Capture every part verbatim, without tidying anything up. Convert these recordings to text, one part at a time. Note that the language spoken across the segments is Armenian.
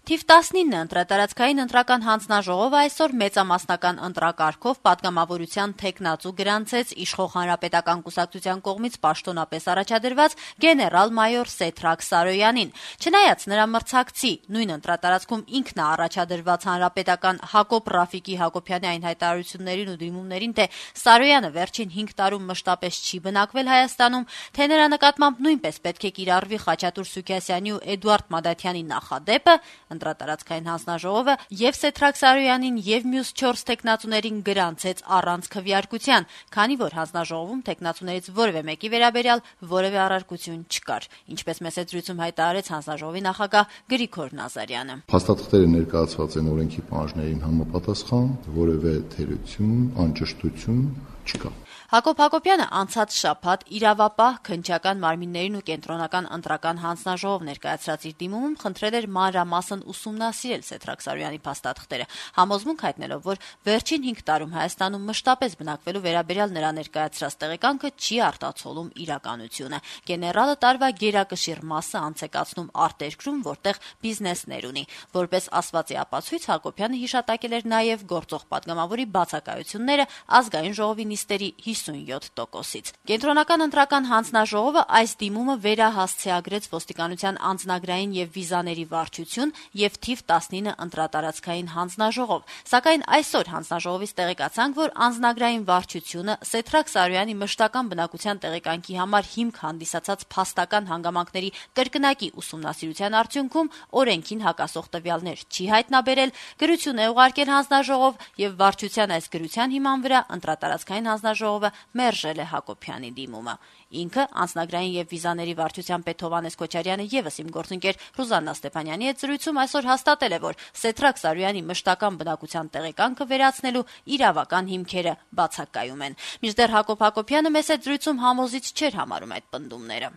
Թիվ տասնինը ընտրատարածքային ընտրական հանձնաժողովը այսօր մեծամասնական ընտրակարգով պատգամավորության թեկնածու գրանցեց իշխող հանրապետական կուսակցության կողմից պաշտոնապես առաջադրված գեներալ-մայոր Սեդրակ Սարոյանին։ Չնայած նրա մրցակցի նույն ընտրատարածքում ինքն է առաջադրված հանրապետական Հակոբ Ռաֆիկի Հակոբյանի այն հայտարարություններին ու դիմումներին, թե Սարոյանը վերջին հինգ տարում մշտապես չի բնակվել Հայաստանում, թե նրա նկատմամբ նույնպես պետք է կիրառվի Խաչատուր Սուքիասյանի ու Էդուարդ Մադաթյանի նախադեպը, ընտրատարածքային հանձնաժողովը եւ Սեդրակ Սարոյանին եւ մյուս չորս տեխնացուներին գրանցեց առանց քվեարկության, քանի որ հանձնաժողովում տեխնացուներից որևէ մեկի վերաբերյալ որևէ առարկություն չկար, ինչպես մեծ զրույցում հայտարարեց հանձնաժողովի նախագահ Գրիգոր Նազարյանը։ Փաստաթղթերը ներկայացված են օրենքի պահանջներին համապատասխան, որևէ թերություն, անճշտություն չկա։ Հակոբ Հակոբյանը անցած շաբաթ իրավապահ քննչական մարմիններին ու կենտրոնական ընտրական հանձնաժողով ներկայացրած իր դիմումում խնդրել էր մանրամասն ուսումնասիրել Սեդրակ Սարոյանի փաստաթղթերը, համոզմունք հայտնելով, որ վերջին հինգ տարում Հայաստանում մշտապես բնակվելու վերաբերյալ նրա ներկայացրած տեղեկանքը չի արտացոլում իրականությունը։ Գեներալը տարվա գերակշիռ մասը անցեկացնում արտերկրում, որտեղ բիզնեսներ ունի։ Որպես ասվածի ապացույց Հակոբյանը հիշատակել էր նաև գործող պատգամավորի բացակայությունները ազգային ժողովի նիստերի հիսունյոթ տոկոսից։ Կենտրոնական ընտրական հանձնաժողովը այս դիմումը վերահասցեագրեց ոստիկանության անձնագրային եւ վիզաների վարչություն եւ թիվ տասնինը ընտրատարածքային հանձնաժողով։ Սակայն այսօր հանձնաժողովից տեղեկացանք, որ անձնագրային վարչությունը Սեդրակ Սարոյանի մշտական բնակության տեղեկանքի համար հիմք հանդիսացած փաստական հանգամանքների կրկնակի ուսումնասիրության արդյունքում օրենքին հակասող տվյալներ չի հայտնաբերել, գրություն է ուղարկել հանձնաժողով եւ վարչության այս գրության հիման վրա ընտրատարածքային հանձնաժողովը մերժել է Հակոբյանի դիմումը։ Ինքը անձնագրային եւ վիզաների վարչության պետ Հովհաննես Քոչարյանը եւս իմ գործընկեր Ռուզաննա Ստեփանյանի հետ զրույցում այսօր հաստատել է, որ Սեդրակ Սարոյանի մշտական բնակության տեղեկանքը վերացնելու իրավական հիմքերը բացակայում են։ Մինչդեռ Հակոբ Հակոբյանը մեծ զրույցում համոզիչ չէր համարում այդ պնդումները։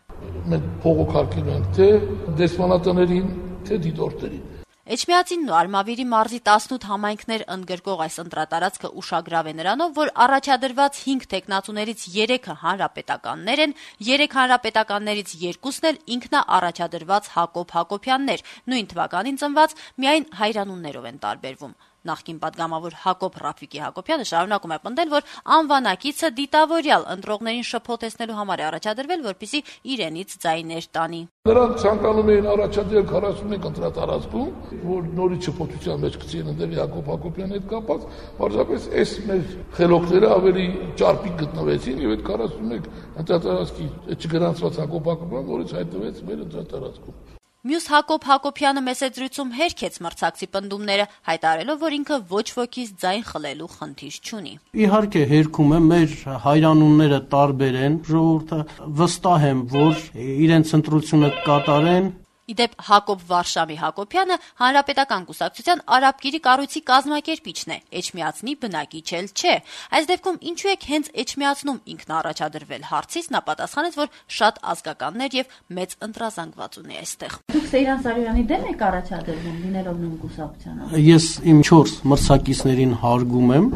Մենք փողոքարկել ենք թե դեսպանատներին, թե դիտորդներին։ Էջմիածինն ու Արմավիրի մարզի տասնութ համայնքներ ընդգրկող այս ընտրատարածքը ուշագրավ է նրանով, որ առաջադրված հինգ տեխնացուներից երեքը հանրապետականներ են, երեք հանրապետականներից երկուսն էլ ինքնա առաջադրված Հակոբ Հակոբյաններ, նույն թվականին ծնված, միայն հայրանուններով են տարբերվում։ Նախկին պատգամավոր Հակոբ Ռաֆիկի Հակոբյանը շարունակում է պնդել, որ անվանակիցը դիտավորյալ ընտրողներին շփոթեցնելու համար է առաջադրվել, որպեսզի իրենից ձայներ տանի։ Նրանք ցանկանում էին առաջադրել քառասունմեկ ընտրատարածքում, որ նորից շփոթության մեջ գցին ընդդեմ Հակոբ Հակոբյանի հետ կապած, պարզապես այս մեր խելոքները ավելի ճարպիկ գտնվեցին եւ այդ քառասունմեկ ընտրատարածքի չգրանցված Հակոբ Հակոբյանը նորից հայտնվեց մեր ընտրատարածքում։ Մյուս Հակոբ Հակոբյանը մեծ զրույցում հերքեց մրցակցի պնդումները, հայտարարելով, որ ինքը ոչ ոքից ձայն խլելու խնդիր չունի։ Իհարկե հերքում է, մեր հայրանունները տարբեր են, ժողովուրդը վստահ եմ, որ իրենց ընտրությունը կկատարեն։ Իդեպ Հակոբ Վարշամի Հակոբյանը հանրապետական կուսակցության արաբկիրի կառույցի կազմակերպիչն է, Էջմիածնի բնակիչ էլ չէ։ Այս դեպքում ինչու եք հենց Էջմիածնում ինքն առաջադրվել հարցից նա պատասխանեց, որ շատ ազգականներ եւ մեծ ընտրազանգված ունի այստեղ։ Դուք Սեյրան Սարոյանի դեմ եք առաջադրվում, լինելով նույն կուսակցության։ Ես իմ չորս մրցակիցներին հարգում եմ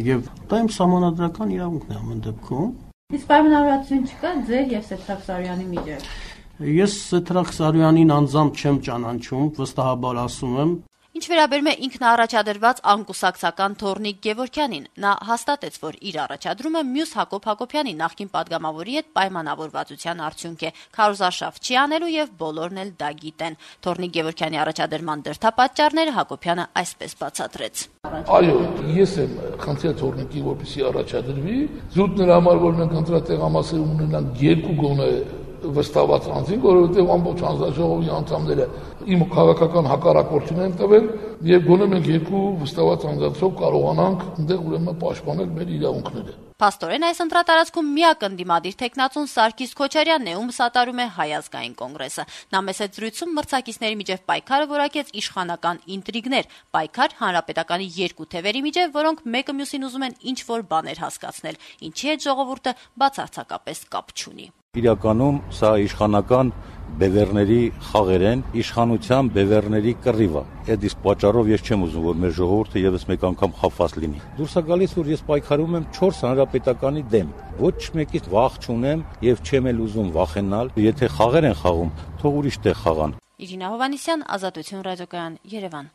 եւ դա իմ սահմանադրական իրավունքն է ամեն դեպքում։ Իսկ պայմանավորվածություն չկա ձեր եւ Սեդրակ Սարոյանի միջեւ։ Ես Սեդրակ Սարոյանին անձամբ չեմ ճանաչում, վստահաբար ասում եմ։ Ինչ վերաբերում է ինքնաառաջադրված անկուսակցական Թորնիկ Գևորգյանին, նա հաստատեց, որ իր առաջադրումը մյուս Հակոբ Հակոբյանի նախկին պատգամավորի հետ պայմանավորվածության արդյունք է, քարոզարշավ չի անելու եւ բոլորն էլ դա գիտեն։ Թորնիկ Գևորգյանի առաջադրման դրդապատճառները Հակոբյանը այսպես բացատրեց։ Այո, ես եմ խնդրել Թորնիկի, որպեսզի առաջադրվի, զուտ նրա համար, որ մենք ընտրատեղամասեր ունենանք երկու գոնե վստահված անձին, որովհետև ամբողջ հանձնաժողովի անդամները իմ քաղաքական հակառակորդին են տվել եւ գոնե մենք երկու վստահված անձանցով կարողանանք այնտեղ ուրեմն պաշտպանել մեր իրավունքները։ Փաստորեն այս ընտրատարածքում միակ ընդդիմադիր տեխնացուն Սարգիս Քոչարյանն է, ում սատարում է Հայ ազգային կոնգրեսը։ Նա մեծ զրույցում մրցակիցների միջև պայքարը որակեց իշխանական ինտրիգներ, պայքար հանրապետականի երկու թևերի միջև, որոնք մեկը մյուսին ուզում են ինչ-որ բաներ հասկացնել, ինչի հետ ժողովուրդը բացարձակապես կապ չունի։ Իրականում սա իշխանական բևեռների խաղեր են, իշխանության բևեռների կռիվ է։ Այդ իսկ պատճառով ես չեմ ուզում, որ մեր ժողովուրդը եւս մեկ անգամ խափված լինի։ Դուրս է գալիս, որ ես պայքարում եմ չորս հանրապետականի դեմ։ Ոչ մեկից վախ չունեմ եւ չեմ էլ ուզում վախենալ։ Եթե խաղեր են խաղում, թող ուրիշ տեղ խաղան։ Իրինա Հովհաննիսյան, Ազատություն ռադիոկայան, Երևան։